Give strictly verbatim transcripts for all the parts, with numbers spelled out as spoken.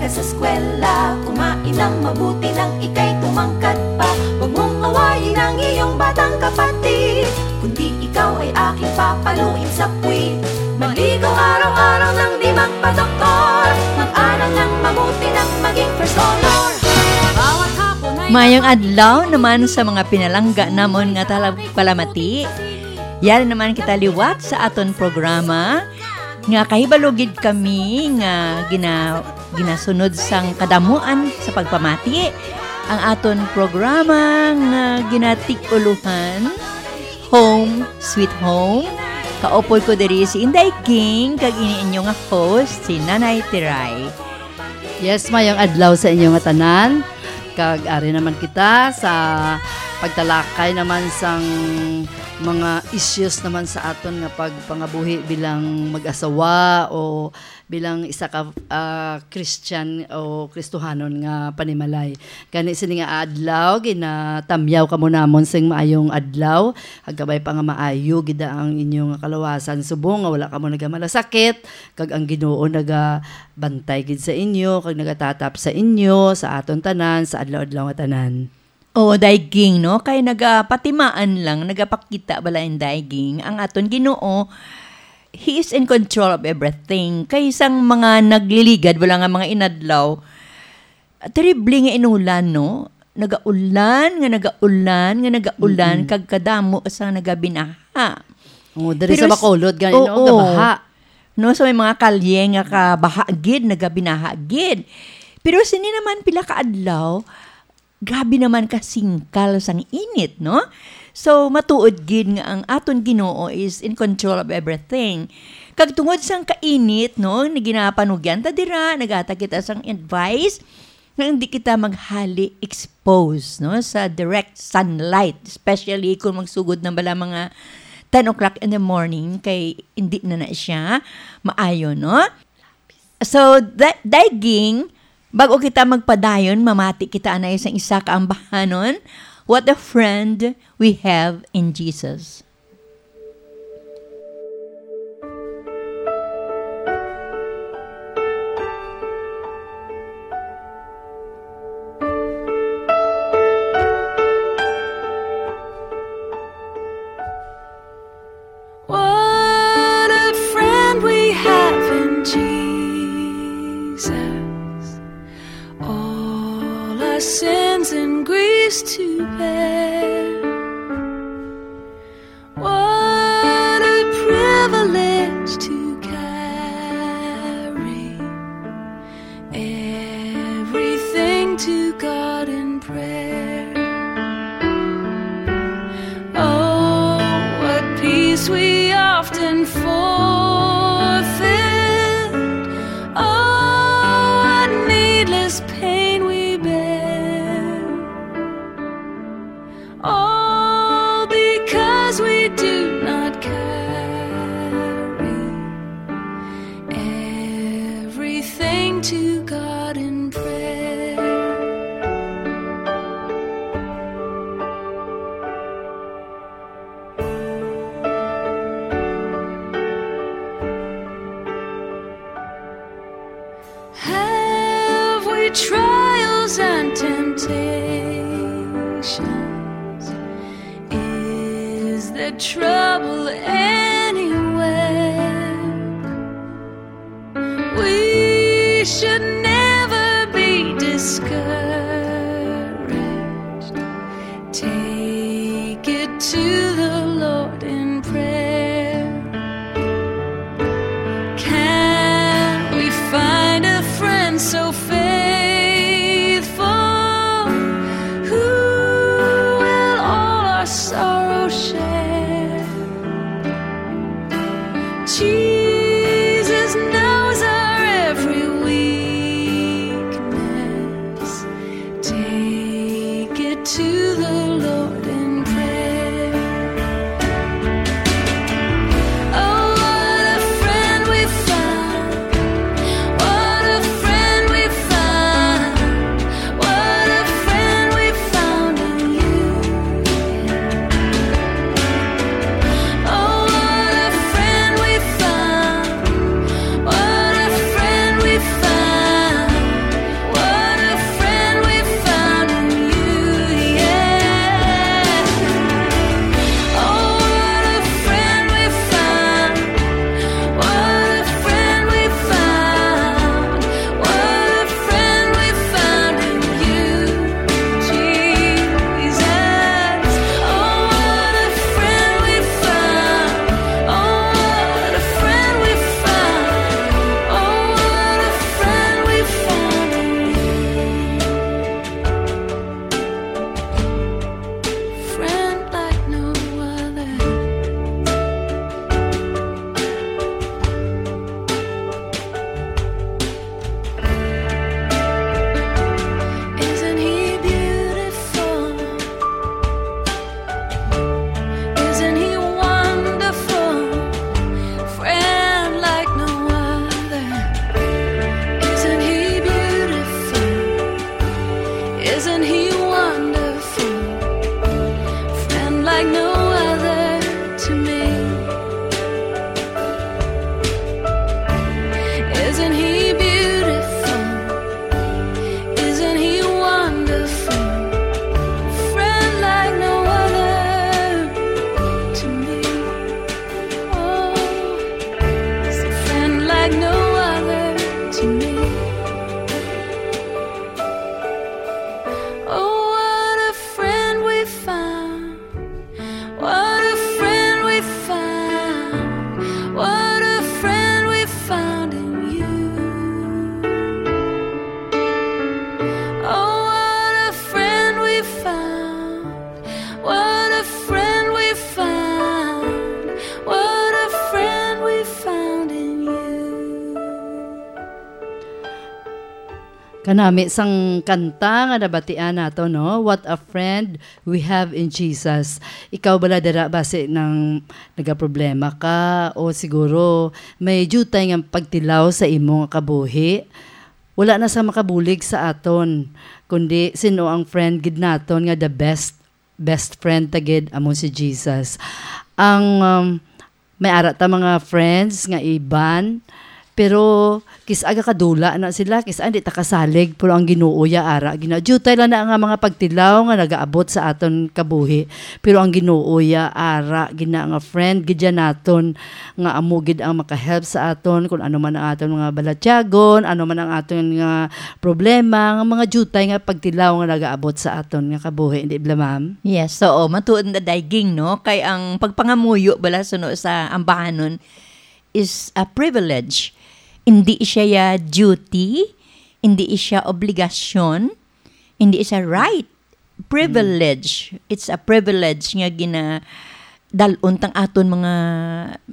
Ka sa eskwela, kumain ng mabuti nang ika'y tumangkad pa. Huwag mong awayin ang iyong batang kapatid, kundi ikaw ay aking papaluin sa puwit. Maligo araw-araw nang di magpadoktor. Mag-aral ng mabuti nang maging first honor. Bawat hapon ay Mayong adlaw naman sa mga pinalangga namon nga talagpalamati. Yari naman kita liwat sa aton programa, nga kahibalo gid kami nga gina-, ginasunod sang kadamuan sa pagpamati ang aton programa nga ginatig-uluhan Home Sweet Home. Kaupod ko diri si Inday King, kag ini inyo nga host, si Nanay Tiray. Yes, mayong adlaw sa inyo nga tanan. Kag ari naman kita sa pagtalakay naman sang mga issues naman sa aton nga pagpangabuhi bilang mag-asawa o bilang isa ka, ah, Christian o Kristohanon nga panimalay. Gani sini nga adlaw, ginatamyaw kamo namon sing maayong adlaw. Agkabay pa nga maayo gid ang inyo nga kalawasan, subong nga wala kamo nagamalasakit, kag ang Ginoo nagabantay gid sa inyo, kag nagatatap sa inyo, sa aton tanan, sa adlaw-adlaw nga tanan. Oo, Day Ging, no? Kay nagapatimaan lang, nagapakita bala in Day Ging, ang aton Ginoo, He is in control of everything. Kay sang mga nagliligad, wala nga mga inadlaw, terrible nga inulan, no? Nagaulan, nga nagaulan, nga nagaulan, Mm-mm. kag kadamo sa nagabinaha. Oh, diri Pero sa s-, Bacolod, gani, no? oo. Gabaha. No, so may mga kalye nga kabaha gid, nagabinaha gid. Pero sini naman pila ka adlaw, grabe naman ka singkal sang init, no? So, matuod gid nga ang aton Ginoo is in control of everything. Kag tungod sang kainit, no, nga ginapanugyan ta dira, naghatag kita sang advice nga hindi kita maghali expose, no, sa direct sunlight, especially kung magsugod na bala mga ten o'clock in the morning, kay hindi na na siya maayo, no? So, da-, Day Ging, bag-o kita magpadayon, mamati kita anay sang isa ka ambahanon, What a Friend We Have in Jesus. What a friend we have in Jesus. All our sins and griefs to bear. What a privilege to carry everything to God in prayer. Oh, what peace we often forfeit. Oh, what needless pain we bear. All because we do not carry everything to God in prayer. Have we trials and temptations? Is there trouble anywhere? We should never be discouraged. Take it to the Lord in prayer. Can we find a friend so faithful, who will all our sorrow share? Jesus knows our every weakness. Take it to the Lord in prayer. Oh, what a friend we found. What a friend we Kanami sang kanta nga nabatian nato, no? What a friend we have in Jesus. Ikaw bala dira basi nang nagaproblema ka o siguro may diutay nga pagtilaw sa imo nga kabuhi? Wala na sa makabulig sa aton, kundi sino ang friend gid naton nga the best, best friend ta gid amo si Jesus. Ang, um, may ara ta mga friends nga iban, pero kis-a gakadula na sila, kis-a di ta kasalig, pero ang Ginoo ya ara gina. Diutay lang na nga mga pagtilaw nga nagaabot sa aton kabuhi, pero ang Ginoo ya ara gina nga friend gid ya naton, nga amo gid ang makahelp sa aton kung ano man ang aton mga balatyagon, ano man ang aton nga problema, nga mga diutay nga pagtilaw nga nagaabot sa aton nga kabuhi, di bala, ma'am? Yes, oo, matuod na dayging, no? Kay ang pagpangamuyo bala suno sa ambahanon is a privilege. Hindi siya ya duty, hindi siya obligasyon, hindi siya right. Privilege. It's a privilege nga gina dalon tang aton mga,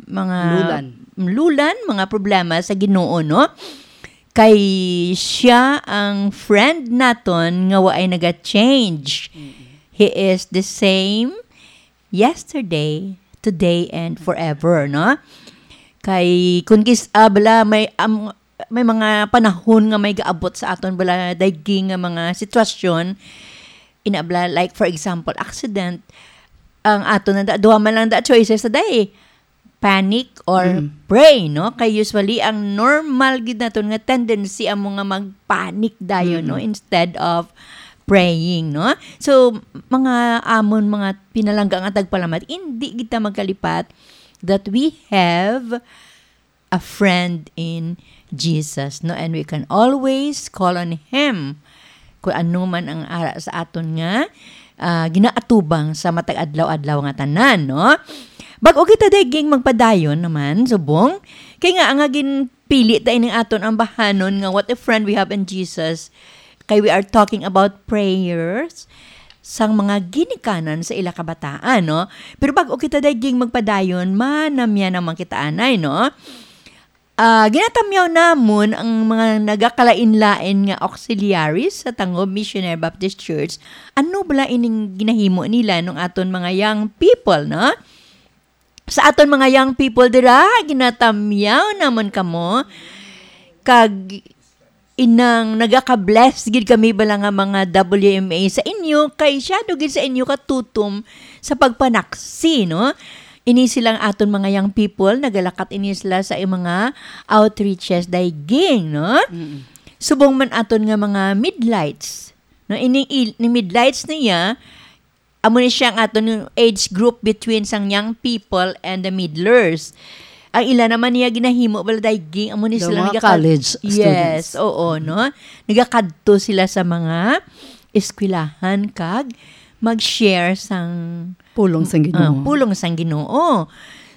mga lulan, lulan, mga problema sa Ginoo, no? Kay siya ang friend naton nga waay naga-change. Mm-mm. He is the same yesterday, today, and forever, no? Kay kung kis-, ah, bala, may, am-, may mga panahon nga may gaabot sa aton bala dayging nga mga sitwasyon, ina bala, like, for example, accident, ang aton na da-, duha man lang da choices na day, panic or Mm. pray, no? Kay usually, ang normal gid naton nga tendency amo nga mag-panic dayon, no? Mm-mm. Instead of praying, no? So, mga amon, mga pinalangga nga tagpalamat, hindi kita magkalipat that we have a friend in Jesus, no? And we can always call on Him kung ano man ang ara sa aton nga, ah, ginaatubang sa matag adlaw-adlaw nga tanan, no? Bag-o kita dayging magpadayon naman, subong, kay nga nga ginpili ta ining aton ambahanon nga what a friend we have in Jesus, kay we are talking about prayers sang mga ginikanan sa ila kabataan, no? Pero bag-o kita dayging magpadayon, manamya naman kita anay, no? Ah, ginatamyaw namon ang mga nagakalain-lain nga auxiliaries sa Tangob Missionary Baptist Church. Ano bala ining ginahimo nila nung aton mga young people, no? Sa aton mga young people dira, ginatamyaw namon kamo. Kag inang nagaka-bless gid kami bala nga mga W M A sa inyo, kay siya do gid sa inyo katutom sa pagpanaksi, no? Ini silang aton mga young people, nagalakat ini sila sa mga outreaches dayging, no? Mm. Subong man aton nga mga midlights, no? Ini il-, ni midlights niya, amo ni siya ang aton age group between sang young people and the middlers. Ang ila naman niya ginahimo bala dayging, amo ni The sila mga nagakad-, college yes, students. Oo, no? Nagakadto sila sa mga eskwelahan kag mag-share sang Pulong sang Ginoo. Ah, pulong sang Ginoo.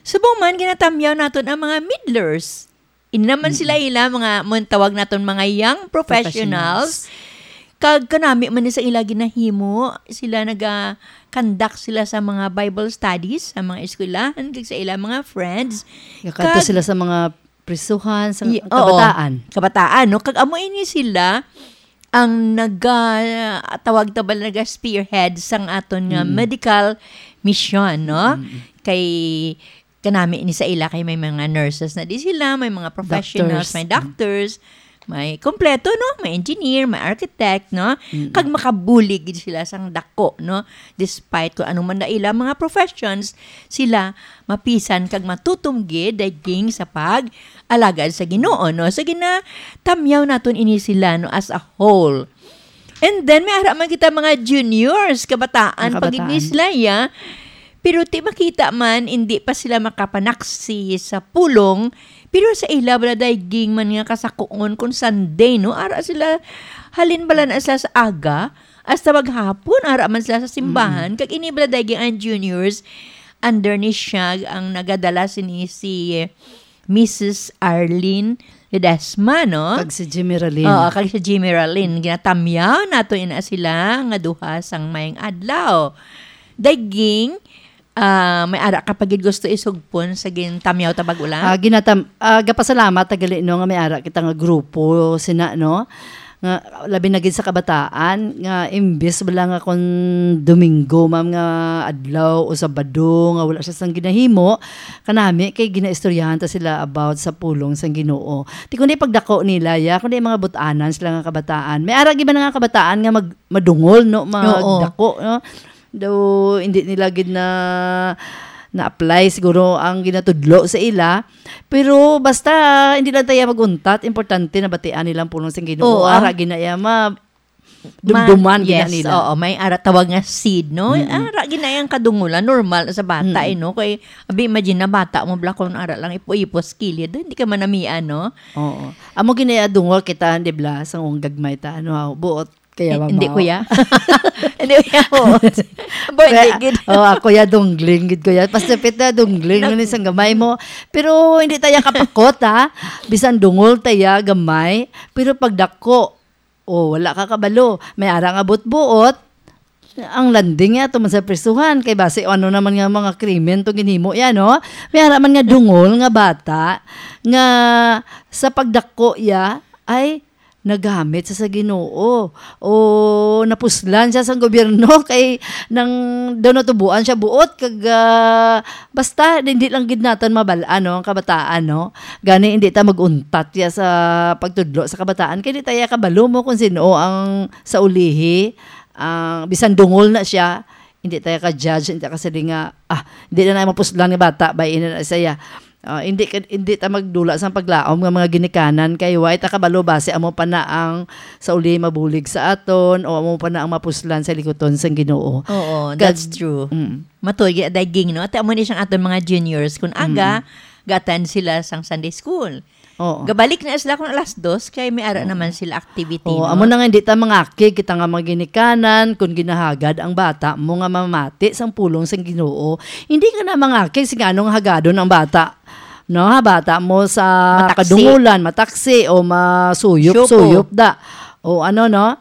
Subong man, ginatamyaw naton ang mga middlers. Ini naman Mm. sila ila, mga, mo tawag naton mga young professionals. Professionals. Kag kanami man ni sa ila ginahimo, sila naga-conduct sila sa mga Bible studies, sa mga eskwelahan, kag sa ila mga friends. Gakadto Kag sila sa mga prisuhan, sa Ye-, oo. kabataan. Kabataan, no? Kag amo ini sila ang naga-, tawag ta ba, naga-spearhead sang aton nga Mm. medical mission, no? Mm. Kay kanami ni sa ila kay may mga nurses na di sila, may mga professionals, Doctors. may doctors, may kompleto, no? May engineer, may architect, no? Mm. Kag makabulig gid sila sang dako, no? Despite kung ano man na ila mga professions, sila mapisan kag matutom gid dayging sa pag-alagad sa Ginoo, no? So, ginatamyaw naton ini sila, no, as a whole. And then, may ara man kita mga juniors, kabataan, Mga pa gid ni kabataan. sila, ya. Pero ti makita man, hindi pa sila makapanaksi sa pulong. Pero sa ila, wala dayging man nga kasakuon kung Sunday, no? Ara sila, halin bala na sila sa aga, hasta maghapon, ara man sila sa simbahan. Mm. Kag ini bala dayging ang juniors, under ni siya ang nagadala sini si Missus Arlene Ledesma, no? Kag si Jimmy Ralin. Oo, kag si Jimmy Ralin. Ginatamyaw nato ina sila nga duha sang mayong adlaw. Dayging, ah, may ara ka pa gid gusto isugpon sa gintamyaw ta bag-o lang? Ah, ginatam-, ah, gapasalamat ta gali, no, nga may ara kita nga grupo sina, no? Nga, labi na gid sa kabataan, nga imbes bala nga kon Domingo, ma'am, nga adlaw o Sabado nga wala siya sang ginahimo, kanami kay ginaistoryahan ta sila about sa pulong sang Ginoo. Ti kundi pagdako nila, ya, kundi mga but-anan sila nga kabataan. May ara gid ba na nga kabataan nga mag-, madungol, no, Oo. magdako, no? Daw hindi nila gid na na-apply siguro ang ginatudlo sa ila. Pero basta hindi lang tayo mag-untat, importante na batian nilang pulong sa Ginoo. Oo, ah. Ara gid na iya ma-, Ma-, dumduman gid na yes, nila. Oo, may ara tawag nga seed, no? Mm-mm. Ara gid na iyang kadungulan, normal na sa bata, Mm-mm. eh, no? Kay, abi, imagine na bata mo, bla, kung ara lang ipo-ipo sa kilid, hindi ka manamian, no? Oo. Amo gid na iya dungol kita, di bla, sa ung gagmay ta, ano, buot, kaya Eh, ba hindi, mao? kuya. Hindi, kuya, buot. Bo, hindi, Kaya, gid. oh, ako ya dungling, gid ko ya. Pastor Pete, dungling, Nak- ano, isang gamay mo. Pero hindi tayo kapakot, ha? Bisan dungol tayo, gamay. Pero pagdako, oh, wala ka kabalo. May ara nga buot-buot. Ang landing ya, tuman sa prisuhan. Kay basi, ano naman nga mga krimen to ginhimo ya, no? May ara man nga dungol nga bata, nga sa pagdako ya, ay, nagamit siya sa Ginoo, o napuslan siya sang gobyerno, kay nang daw natubuan siya buot, kag, ah, basta hindi lang gid naton mabal-an, no, ang kabataan, no? Gani hindi ta mag-untat ya sa pagtudlo sa kabataan, kay di ta ya kabalo mo kung sino ang sa ulihi, ang bisan dungol na siya, hindi tayo ka-judge, hindi tayo kasali nga, "Ah, hindi na na mapuslan nga bata, bay, ina na siya." Ah, hindi ka, hindi ta magdula sa paglaom nga mga ginikanan, kay wa ta kabalo basi amo pa na ang sa uli mabulig sa aton, o amo pa na ang mapuslan sa likuton sang Ginoo. Oo, Kag-, that's true. Mm. Matuod gid, Day Ging, no? Ate, amo ni siyang aton mga juniors, kung aga, Mm. ga-attend sila sang Sunday school. Oo. Gabalik na sila kung alas dos, kay may ara Oo. naman sila activity, Oo, no? amo na nga, hindi ta mangakig kita nga mga ginikanan, kung ginahagad ang bata mo nga mamati sang pulong sang Ginoo. Hindi ka na mangakig sing anong hagadon ang bata. No, ha, bata mo sa Mataksi. kadungulan, mataksi o masuyop-suyop Suyop. da. O ano, no?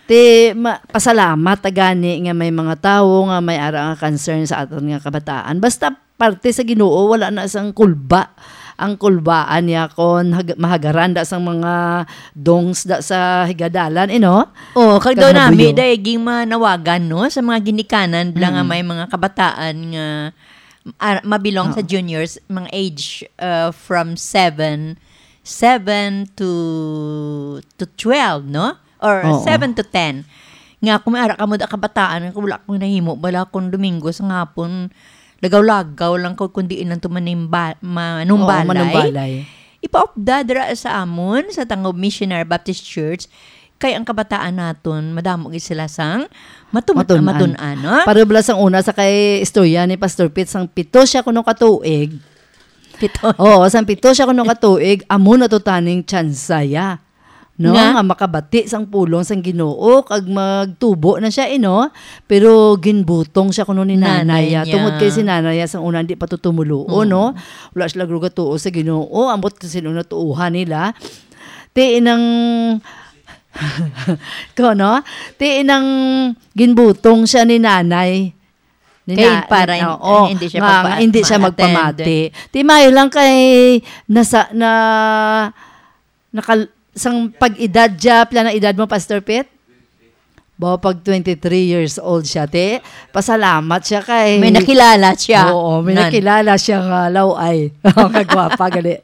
Ti, ma-, pasalamat ta gani nga may mga tawo nga may ara nga concern sa aton nga kabataan. Basta parte sa Ginoo, wala na sang kulba. Ang kulbaan niya kon hag-, mahagaran da sang mga dongs da sa higadalan, eh, no? Oh, kag Kag daw nami, mabuyo. Day Ging, manawagan, no, sa mga ginikanan, bala nga Mm. may mga kabataan nga, ah, mabilong sa Oo. juniors, mga age, uh, from seven, seven to, to twelve, no? Or Oo. seven to ten. Nga, kung may ara ka mo da kabataan, nga wala kong nahimo, bala kung Domingo sa hapon, lagaw-lagaw lang ko, kundi ilang to manimba-, manumbalay. Oo, manumbalay. Ipaupda dira sa amon, sa Tangob Missionary Baptist Church, kay ang kabataan naton, madamo gid sila sang matun-, Matun-an. matun-an, no? Pareho bala sang una sa kay istorya ni Pastor Pete, sang pito siya kuno ka tuig. Pito. Oo, sang pito siya kuno ka tuig, amo na to taning tsansa ya. No? Nga? Nga makabati sang pulong sang Ginoo, kag magtubo na siya, eh, no? Pero ginbutong siya kuno ni Nanay nanay, ya. niya. Tungod kay si nanay ya sang una, di pa to tumulo, Oo. no? Wala sila gatuo sa Ginoo, ambot kung sino na tuuhan nila. Ti inang, ko, no? Ti inang ginbutong siya ni nanay. Ni Kay na-, para ni-, in-, oo, hindi siya nga, pagpa-, nga hindi siya ma-attend. magpamati. Ti mayo lang kay nasa, na, nakal-, sang pag-edad siya, pila na edad mo, Pastor Pete? Ba, pag twenty-three years old siya, te, pasalamat siya kay May nakilala siya. Oo, may Nan. nakilala siya nga laway. Kagwapa, gali.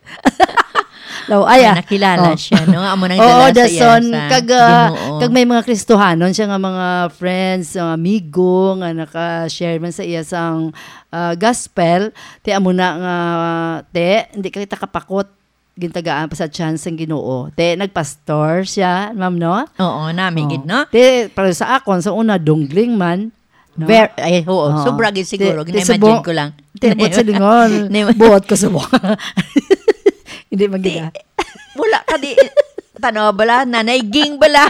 Laway, May ah. nakilala Oh. siya, no? Amo nang Oo, dala sa iya dason, sa kag, ah, Ginoo. kag may mga Kristohanon siya nga mga friends, mga amigo nga naka-share man sa iya sang, ah, gospel. Ti amo na nga, te, hindi kita kapakot, gintagaan pa sa chance ang Ginoo. Te, nagpastor siya, ma'am, no? Oo, nami Oh. gid, no? Te, para sa akon, sa una, dungling man, no? Ver-, ay, oo, Oo. sobra gid siguro. Te, te, Gina-imagine subong, ko lang. te, buot sa lingon. Ni- Buot ko subong. Hindi man Te, gid, ah. wala ka di, tanaw bala, Nanay Ging bala.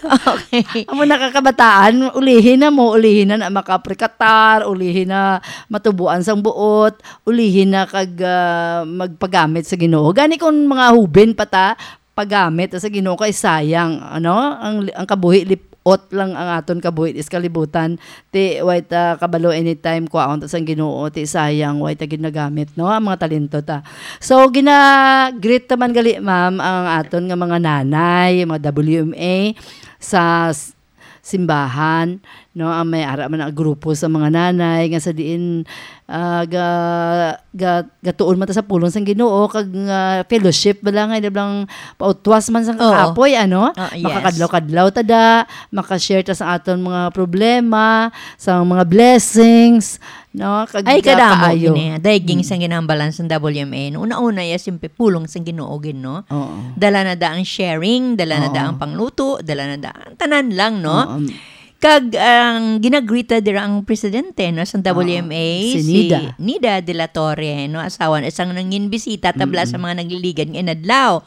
Okay. Amo nakakabataan, ulihin na mo, ulihin na, na makaprikatar, ulihin na matubuan sang buot, ulihin na kag, ah, magpagamit sa Ginoo. Gani kung mga hubin pa ta, pagamit sa Ginoo kay sayang, ano, ang, ang kabuhi lip-, ot lang ang aton kabuhi sa kalibutan. Ti, way ta kabalo anytime, kwaon ta sang Ginoo, ti sayang, way ta gid nagamit, no, ang mga talento ta. So, gina-greet naman gali, ma'am, ang aton nga mga nanay, mga W M A sa s-, simbahan, no, ang may ara man ang grupo sa mga nanay nga sa diin, ah, ga-, ga-, gatuon man ta sa pulong sang Ginoo, kag, ah, fellowship bala nga, ina bala nga pautwas man sang Oo. kakapoy, ano? Ah, yes. Makakadlaw-kadlaw ta da, makashare ta sa aton mga problema, sa mga blessings, no? Kag Ay, kadamo kaayo. Gini, dahil Mm. sang ginambalan sa W M A, no? Una-una, ya, siyempre, pulong sang Ginoo gid, no? Oo. Dala na da ang sharing, dala na da Oo. ang pangluto, dala na da ang tanan lang, no? Oo. Kag ang ginagrita dira ang presidente, no, sa Oo. W M A, Si si Nida. Nida de la Torre, no, asawa na isang nangin bisita tabla Mm-mm. sa mga nagliligad nga inadlaw.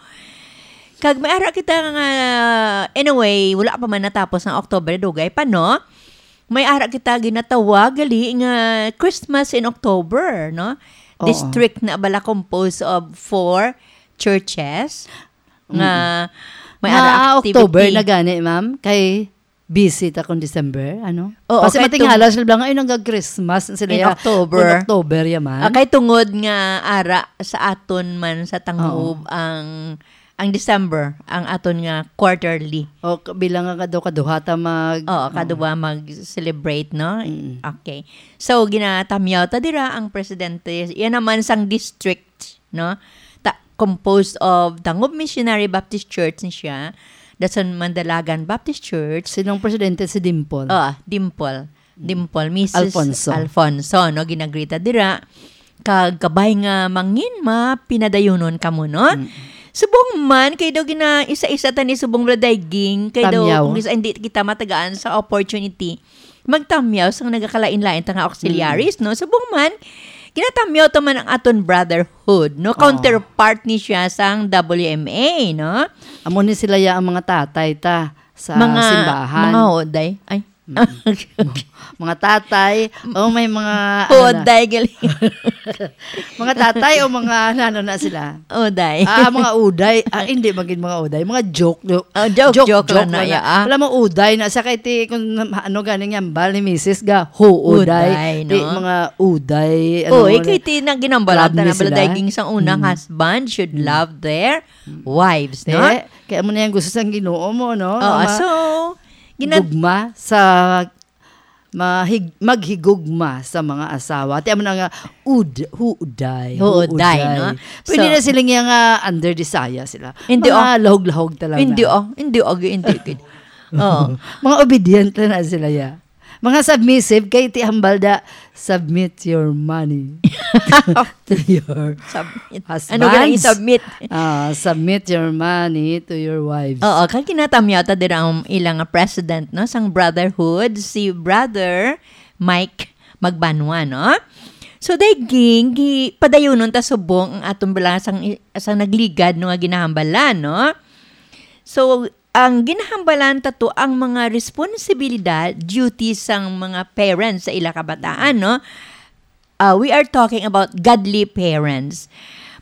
Kag may ara kita nga, anyway, wala pa man natapos ang October, dugay pa, no? May ara kita ginatawag gali nga Christmas in October, no? Oo. District na bala composed of four churches nga Mm-mm. may Nga ara activity. October na gani, ma'am, kay busy ta kung December, ano? Oo, Kasi kay matingala tung- sila nga, "Ay, nag-Christmas sila In ya, October. Kung October ya man." Ah, kay tungod nga ara sa aton man sa Tangob Oo. ang, ang December, ang aton nga quarterly. O, k-, bilang nga kadu-, kaduha ta mag-, Oo, oo. kaduha mag-celebrate, no? Mm. Okay. So, ginatamyaw ta dira ang presidente. Yan naman sang district, no? Ta-, composed of Tangob Missionary Baptist Church ni siya, dason Mandalagan Baptist Church. Sinong presidente? Si Dimple? Oo, Dimple. Mm. Dimple, Missus Alfonso. Alfonso, no? Ginagrita dira. Kag kabay nga mangin ma, pinadayunon kamo, no? Mm. Subong man, kay daw gina-, isa-isa ta ni subong bala dayging, kay daw Tamyaw. kung isa, hindi kita matagaan sa opportunity, magtamyaw sang nagakalain-lain ta nga auxiliaries, Mm. no? Subong man, ginatamyaw ta man ang aton brotherhood, no? Oo. Counterpart ni siya sang W M A, no? Amo ni sila ya ang mga tatay ta sa Mga, simbahan. mga hoday. Ay. Mm. Mga tatay, o may mga, ano na. Hoday, gali. Mga tatay o mga, ano na sila? Uday. Ah, mga uday. Ah, hindi magin mga uday. Mga joke, joke. Oh, joke, Joke, joke joke lang na na ya, na. ah. Alam mo, uday na sa kay ti, kung ano ganing hambal ni misis ga, huuday. Uday, Ti, no? mga uday, ano, Oy, kay ti na ginambalan love ta ni na bala sila. Dayging sang unang Mm. husband should Mm. love their Mm. wives, Ti, no? kaya mo na yung gusto sang Ginoo mo, no? Oo, Nga ma-, so, gina- gugma sa mahig-, maghigugma sa mga asawa. Ti amo na nga, ud-, huuday, Huuday, huuday. no? Pwede So, na sila nga, nga under desire sila. Hindi, Mga oh. lahog-lahog talaga. Hindi, oh. Hindi, oh. Hindi, hindi. Oh. Mga obedient lang na sila, ya. Mga submissive, kay ti hambal da, submit your money to your Submit. Ano ka nang husbands. isubmit? Ah, submit your money to your wives. Oo, kag ginatamyaw ta dira ang ilang president, no, sang brotherhood, si Brother Mike Magbanwa, no? So, dayging, gi-, padayunon ta subong ang aton bala sang i-, sang nagligad, no, nga ginahambalan, no? So, ang ginahambalan ta to ang mga responsibilidad, duty sang mga parents sa ila kabataan, no? Uh, we are talking about godly parents.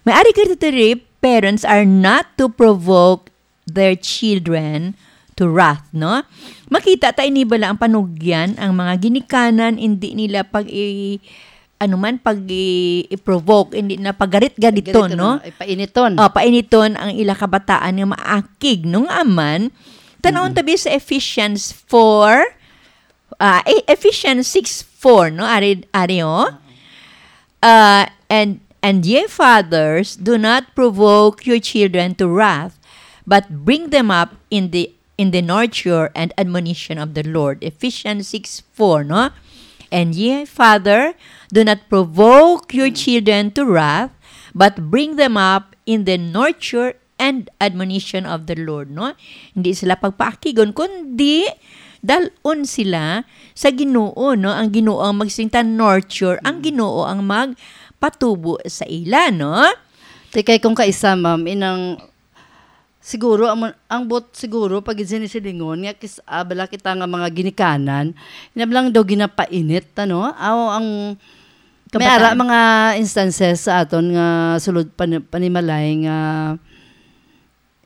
May ari ka diri, parents are not to provoke their children to wrath, no? Makita ta ini bala ang panugyan, ang mga ginikanan, hindi nila pag i-, ano man, pag i-, i-provoke, hindi na pagarit-gariton, Gariton, no? no? Ay, painiton. Oh, painiton ang ila kabataan nga maakig, no? Nga aman, tanawon Mm. tabi sa Ephesians four, ah, E-, Ephesians six four, no? Ari, ari, oh. Uh, and, and ye fathers, do not provoke your children to wrath, but bring them up in the, in the nurture and admonition of the Lord. Ephesians six four, no? And ye father, do not provoke your children to wrath, but bring them up in the nurture and admonition of the Lord, no? Hindi sila pagpaakigon, kundi dal-on sila sa Ginoo, no? Ang Ginoo ang magsinta nurture, ang Mm. Ginoo ang magpatubo sa ila, no? Ti kay kung kaisa, ma'am, inang, siguro, ang, ang bot siguro, pag sinisilingon, nga kis-, ah, bala kita nga mga ginikanan, inablang daw ginapainit, ano? Aw, ang may Kabataan. ara mga instances sa aton nga sulod pan-, panimalay nga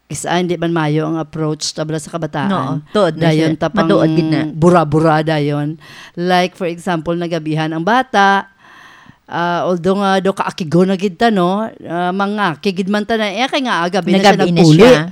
Kis-a hindi man maayo ang approach ta bala sa kabataan. No, tuod na Dayon siya. Tapang Matuod gid na. bura-bura dayon. Like, for example, nagabihan ang bata, ah, although nga do kaakigon na gid ta, no? Ah, mangakig gid man ta na, eh, kay nga agabi na siya Nagabi na nagpuli. Siya.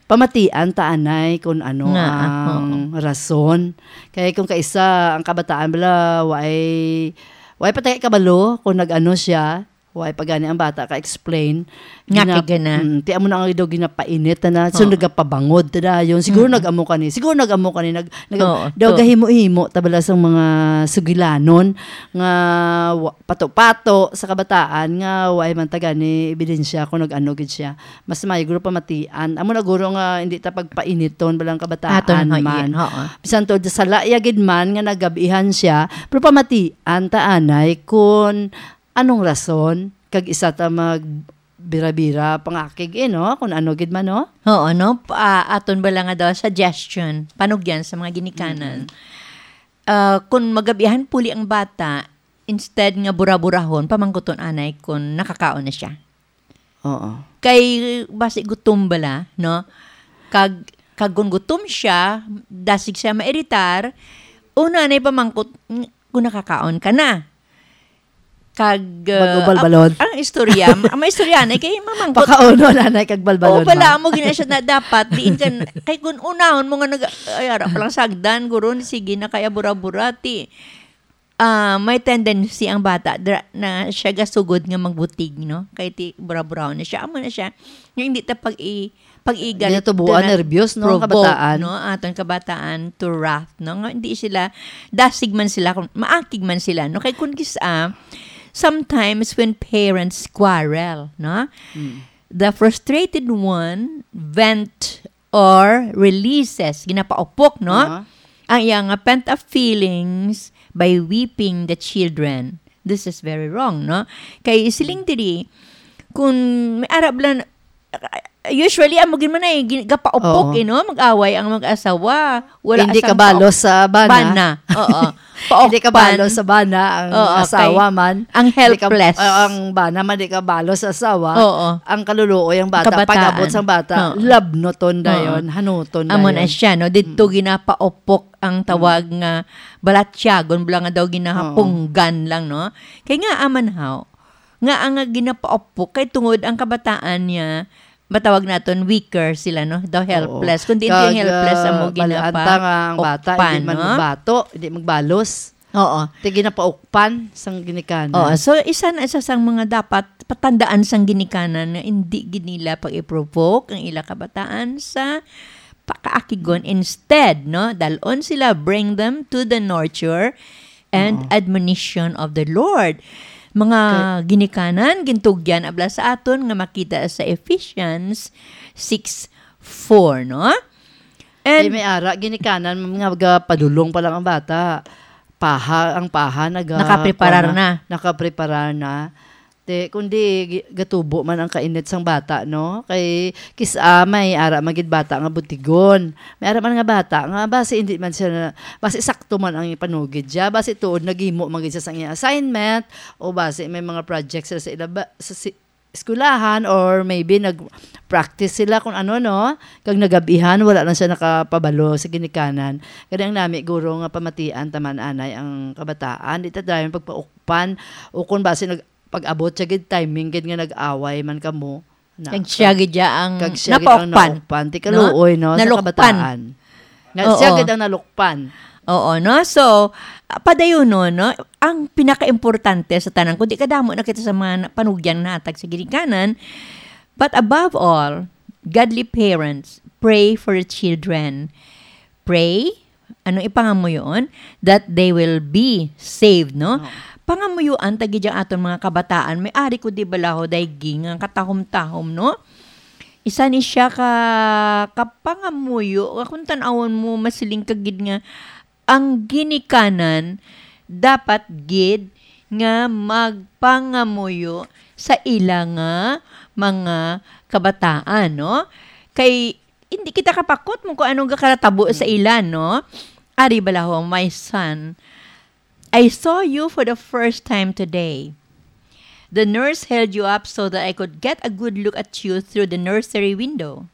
Pamatian ta anay kung ano Nga, ang rason. Kaya kung kaisa ang kabataan bala, way, way pa tayo kabalo kung nag-ano siya, way pa gani ang bata ka-explain. Nga Gina- kay gana. Mm, ti amo na nga daw ginapainit na, so Oo. nagapabangod ta dayon. Siguro Mm. nag-amo ka ni, siguro nag-amo ka ni, nag, nag, Oo, daw to. gahimo-himo ta bala sa mga sugilanon nga wa- pato-pato sa kabataan nga way man ta gani ebidensya kung nag-ano gid siya. Mas maayo guro pamatian. Amo na guro nga hindi ta pagpainiton balang kabataan Aton, ha, man. iya, oo. Bisan to sala iya gid man nga nagabihan siya, pero pamatian ta anay kun anong rason kag isa ta mag bira-bira pangakig, eh, no? Kung ano gid man, no? Oo, no? Pa, aton bala nga daw suggestion, panugyan sa mga ginikanan. Ah, kung magabihan puli ang bata, instead nga bura-burahon, pamangkuton anay kung nakakaon na siya. Oo. Kay basi gutom bala, no? Kag kag kung gutom siya, dasig siya mairitar, una na ipamangkot ng- kung nakakaon ka na. Kag uh, Bago balbalon. Ang, ang istorya, ang may istorya na kay mamangkot. Pakauno na na kag balbalon. Oo, pala mo gina siya na dapat diin ka kay kung unahon mo nga nag ay ara pa lang sagdan guro sige na kaya bura-bura ti ah may tendency ang bata dra, na siya gasugod nga magbutig, no? Kay ti bura-bura na siya, amo na siya. Nga hindi ta pag i pag-igal Ginatubuan, nervyos, no, ang provoke, kabataan. No, aton kabataan to wrath, no? Nga hindi sila dasig man sila kung maakig man sila, no? Kay kun kis-a sometimes when parents quarrel, no? The frustrated one vent or releases, ginapaupok, no? Aha. Ang iya nga pent-up feelings by whipping the children. This is very wrong, no? Kay siling diri, kung may arab lang, usually, amo gid man ay gin- gapaupok, Oo. Eh, no? Mag-away ang mag-asawa. Wala Hindi sang kabalo paup- sa bana. Bana. Oo. Hindi Paukpan. kabalo sa bana ang Oo, asawa kay man. ang Hindi ka- helpless. Ah, ang bana man, di kabalo sa asawa. Oo. Ang kaluluoy ang bata. Kabataan. Pag-abot sang bata, Oo. labnoton Oo. dayon, hanuton Amo dayon. Na siya, no? Dito ginapaupok ang tawag nga balatyagon, bala nga daw ginahapunggan lang, no? Kay nga aman haw, nga ang nga ginapaupok, kay tungod ang kabataan niya, matawag naton weaker sila, no? Daw helpless. Kundi hindi Kag, yung helpless, ah, amo bal-an ta nga ang bata, ginapaukpan, hindi man no? magbato, hindi magbalos. Oo. Ti ginapaukpan sang ginikanan. Oo, so isa na isa sang mga dapat patandaan sang ginikanan nga hindi gid nila pag-i-provoke ang ila kabataan sa pakaakigon. Instead, no, dalon sila, bring them to the nurture and admonition of the Lord. Mga ginikanan, gintugyan abla sa aton nga makita sa Ephesians six four, no? Kay And may ara, ginikanan, mga padulong pa lang ang bata. Paha, ang paha, naga, Nakapreparar kuwan na. Nakapreparar na. Te, kundi gi- gatubo man ang kainit sang bata, no? Kay kis-a may ara magid bata nga butigon. May ara man nga bata nga basi hindi man siya na, basi sakto man ang panugid siya, basi tuod nagimo magid siya sang iyang assignment o basi may mga projects sila sa ilaba, sa si, eskwelahan or maybe nag-practice sila kung ano, no? Kag nagabihan, wala lang siya nakapabalo sa ginikanan. Kani ang nami guro nga pamatian taman anay ang kabataan, di ta dayon pagpaukpan o kung basi nag pag-abot siya gid timing gid nga nag-away man kamo. Na, kag siya gid siya ang kag siya gid ang napaukpan. Naukpan. Ti kaluoy, no, sa Nalukpan. kabataan. Nga siya Oo. gid ang nalukpan. Oo, no? So, ah, padayonon, no? Ang pinakaimportante sa tanan, kundi kadamo na kita sa mga na- panugyang natag sa ginikanan, but above all, godly parents, pray for the children. Pray, ano ipangamuyoon? That they will be saved, no? Oo. Pangamuyoan ta gid ang aton mga kabataan. May ari ko di balaho daygi nga katahom-tahom, no? Isa ni siya ka kapangamuyo, kung tan-awon mo masiling ka gid nga ang ginikanan dapat gid nga magpangamuyo sa ila nga mga kabataan, no? Kay hindi kita kapakot mo kung anong gakaratabo sa ila, no? Ari bala ho, my son, I saw you for the first time today. The nurse held you up so that I could get a good look at you through the nursery window.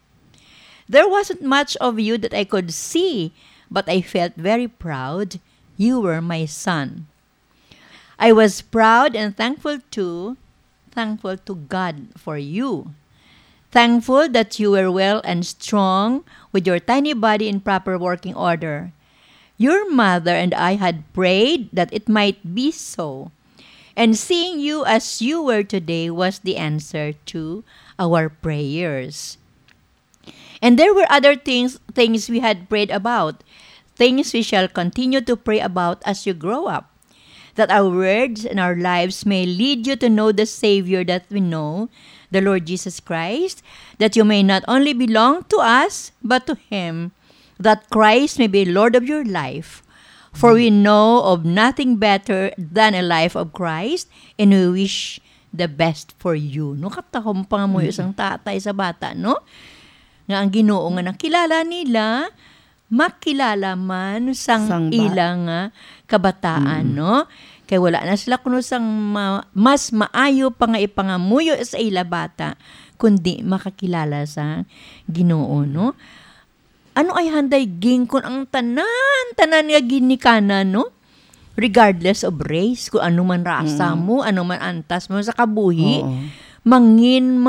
There wasn't much of you that I could see, but I felt very proud. You were my son. I was proud and thankful to, thankful to God for you. Thankful that you were well and strong with your tiny body in proper working order. Your mother and I had prayed that it might be so. And seeing you as you were today was the answer to our prayers. And there were other things, things we had prayed about, things we shall continue to pray about as you grow up, that our words and our lives may lead you to know the Savior that we know, the Lord Jesus Christ, that you may not only belong to us, but to Him, that Christ may be Lord of your life. For we know of nothing better than a life of Christ, and we wish the best for you. No, katahom pa nga mo Mm. isang tatay sa bata, no? Nga ang Ginoo nga nakilala nila, makilala man sang Sang ba- ila nga kabataan, Mm. no? Kay wala na sila kuno sang ma-, mas maayo pa nga ipangamuyo sa ila bata, kundi makakilala sa Ginoo, no? Ano ay handay ging kun ang tanan, tanan nga ginikanan, no? Regardless of race, kung ano man rasa Mm. mo, ano man antas mo sa kabuhi, Oo. mangin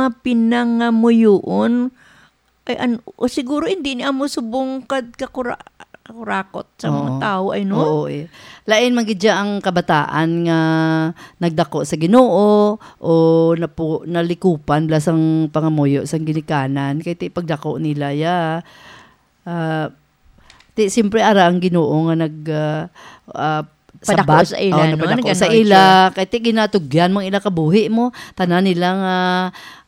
mapinangamuyoon, ay, an-, o siguro hindi ni amo subong kad kakura-, kakurakot sa mga Oo. tao, ay, no? Oo, eh. Lain man gid siya ang kabataan nga nagdako sa Ginoo o napu-, nalikupan bala sang pangamuyo sang ginikanan, kay ti pagdako nila, ya, ah, ti, siyempre, ara ang Ginoo nga nag, ah, ah, Padako sabat. sa ila, Oh, no? napadako sa Nag-anoint ila. Kay ti ginatugyan mang ila kabuhi mo, tanan nila nga,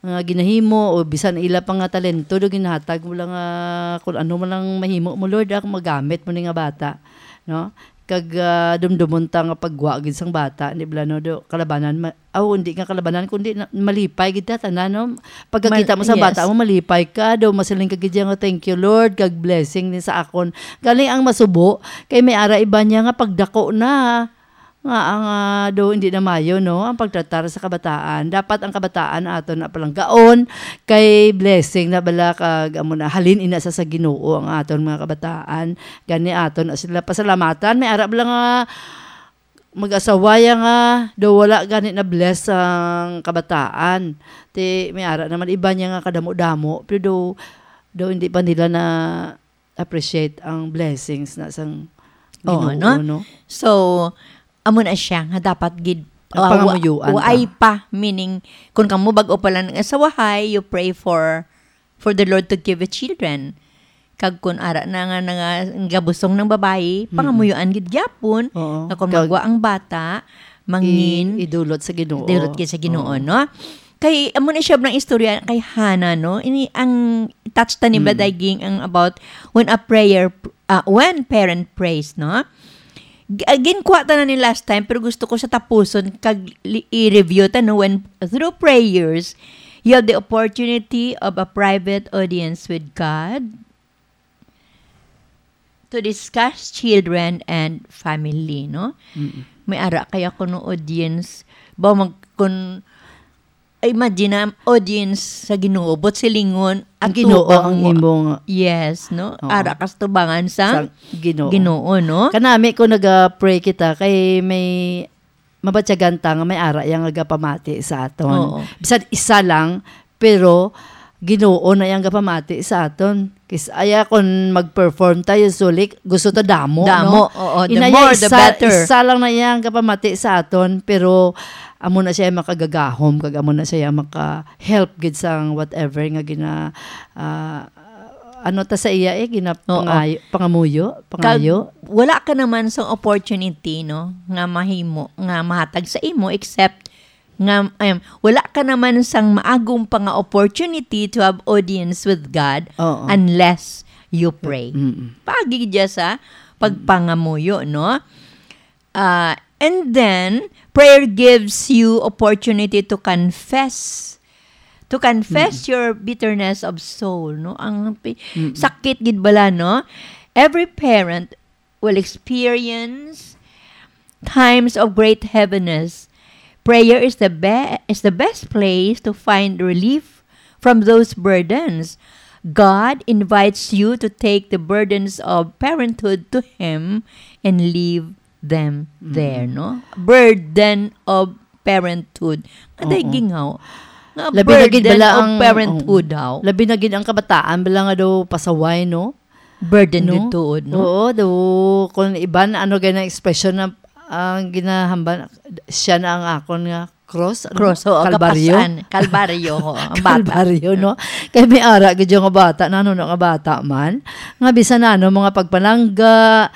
nga ginahimo, o bisan ila pa nga talento do ginhatag mo lang, ah, kung ano man lang mahimo mo, Lord, ah, magamit mo ni nga bata, no? Kag, ah, dumdumon ta nga pagwa gid sang bata, di bala, no? Do, kalabanan ma-, aw, hindi nga kalabanan, kundi na, malipay gid ta tanan, no? Pagkakita Mal-, mo sa bata yes. mo, malipay ka, do masiling ka gid nga, "Thank you, Lord, kag blessing ni sa akon." Gani ang masubo, kay may ara iba niya nga pagdako na, nga ang, ah, do hindi na mayo, no? Ang pagtratar sa kabataan. Dapat ang kabataan aton na palanggaon, kay blessing na bala, kag amo na, halin ina sa, sa Ginoo ang aton mga kabataan. Gani aton na sila pasalamatan. May ara bala nga mag-asawaya nga do wala gani na bless ang kabataan. Ti may ara naman iba niya nga kadamo-damo, pero do, do hindi pa nila na appreciate ang blessings na sang Oo, Ginoo, no? no? So, amo na siya nga dapat gid, Ang ah, wa-, pangamuyoan waay ta. pa, meaning, kung kamo bag-o pa lang nag-asawahay, you pray for, for the Lord to give you children. Kag kung ara na nga, nga gabusong ng babayi, Mm-mm. pangamuyoan gid gyapon, Oo. nga kung Kag magwa ang bata, mangin, i-, idulot sa Ginoo. idulot gid sa Ginoo, Oo. no? Kay, amo na siya ng istorya kay Hannah, no? Ini, ang touch ta ni Mm. Baday Ging ang about when a prayer, ah, when parent prays, no? G-, ah, ginkuha ta na ni last time, pero gusto ko sa tapuson, kag li-, i-review ta, no? When, through prayers, you have the opportunity of a private audience with God, to discuss children and family, no? Mm-mm. May ara kaya kuno audience, ba mag-, kun, imagine na, audience sa Ginoo, but silingon, Ang ang Ginoo tubang ang mo. imo nga. Yes, no? Oo. Ara kas tubangan sa Sa Ginoo. Ginoo, no? Kanami ko naga-pray kita kay may mabatyagan ta nga may ara yang nagapamati sa aton. Oo. Bisan isa lang, pero Ginoo na yang gapamati sa aton. Kis-, aya kon mag-perform tayo, sulik, gusto ta damo, Damo, no? oo. The Ina more, the isa, better. isa lang na yang gapamati sa aton, pero amo na siya makagagahom, kag amo na siya maka-help gid sang whatever nga gina-, ah, ano ta sa iya, eh, gina-, Oo. pangayo-, pangamuyo, Kag pangayo. wala ka naman sa opportunity, no, nga mahimo, nga mahatag sa imo, except nga, um, wala ka naman sang maagom pa nga opportunity to have audience with God Oo. unless you pray. Mm-mm. Pagi dya sa pagpangamuyo, no? Ah, and then, prayer gives you opportunity to confess. To confess Mm-mm. your bitterness of soul, no? Ang pi-, Mm-mm. sakit gid bala, no? Every parent will experience times of great heaviness. Prayer is the be-, is the best place to find relief from those burdens. God invites you to take the burdens of parenthood to Him and leave them there, no? Burden of parenthood. Aday, gingaw. Nga labi na gid burden bala of ang, parenthood, oo. Labi na gid ang kabataan, bala nga daw pasaway, no? Burden gid tuod, no? Oo, daw, kung iban, ano gani ang expression na, ang ginahambal, siya na ang akon nga cross, ano? Cross, oo, Kalbaryo? Kapasan. Kalbaryo, oo, ang bata. Kalbaryo, no? Kay may ara gid yung nga bata, na ano, nga bata man. Nga bisan na, ano, mga pagpalangga,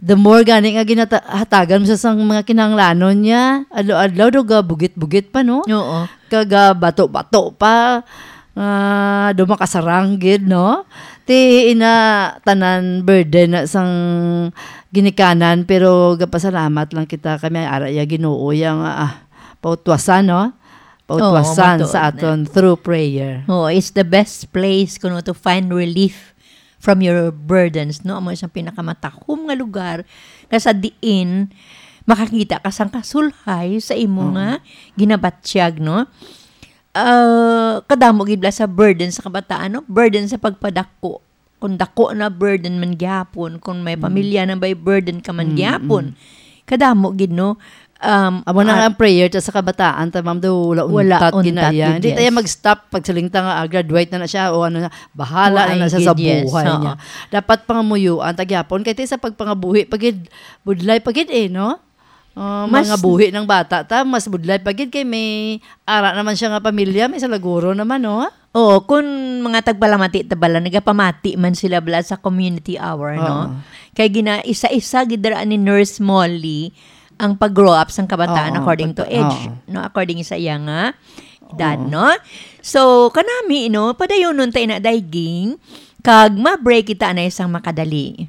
the more gani nga ginata-, hatagan mo siya sang mga kinahanglanon niya, adlaw-adlaw, daw ga bugit-bugit pa, no? Oo. Kag, ah, bato-bato pa. Ah, daw makasarang gid, no? Ti ina tanan burden na sang ginikanan, pero gapasalamat lang kita kay may ara ya Ginoo ya nga, ah, pautwasan, no? Pautwasan sa aton through prayer. Oo, it's the best place kuno to find relief from your burdens, no? Amo siyang pinakamatahom nga lugar nga sa diin makakita ka sang kasulhay sa imo nga ginabatyag, no? Ah, kadamo gid bala sa burden sa kabataan, no? Burden sa pagpadako. Kung dako na, burden man gihapon. Kung may pamilya na, may burden ka man gihapon. Kadamo gid, no? Um, amo na nga ang prayer ta sa kabataan, ta, ma'am, daw wala untat, wala untat gid, yes. Hindi tayo mag-stop pagsiling ta nga, ah, graduate na na siya o ano na, bahala na na siya sa buhay niya. Dapat pangamuyuan ta gyapon kay ti sa pagpangabuhi pa gid, budlay pa gid eh, no? Ah, mas mga buhi ng bata ta, mas budlay pa gid kay may ara naman siya nga pamilya, may salaguro naman, no? Oo, kung mga tagpalamati ta bala, nagapamati man sila bala sa community hour, no? Oo. Kay gina-isa-isa gid dira ni Nurse Molly ang pag-grow up sang kabataan according to age, no? According sa iya nga edad, no? So, kanami, no? Padayonon ta ina, Dayging, kag ma-break kita na isang makadali.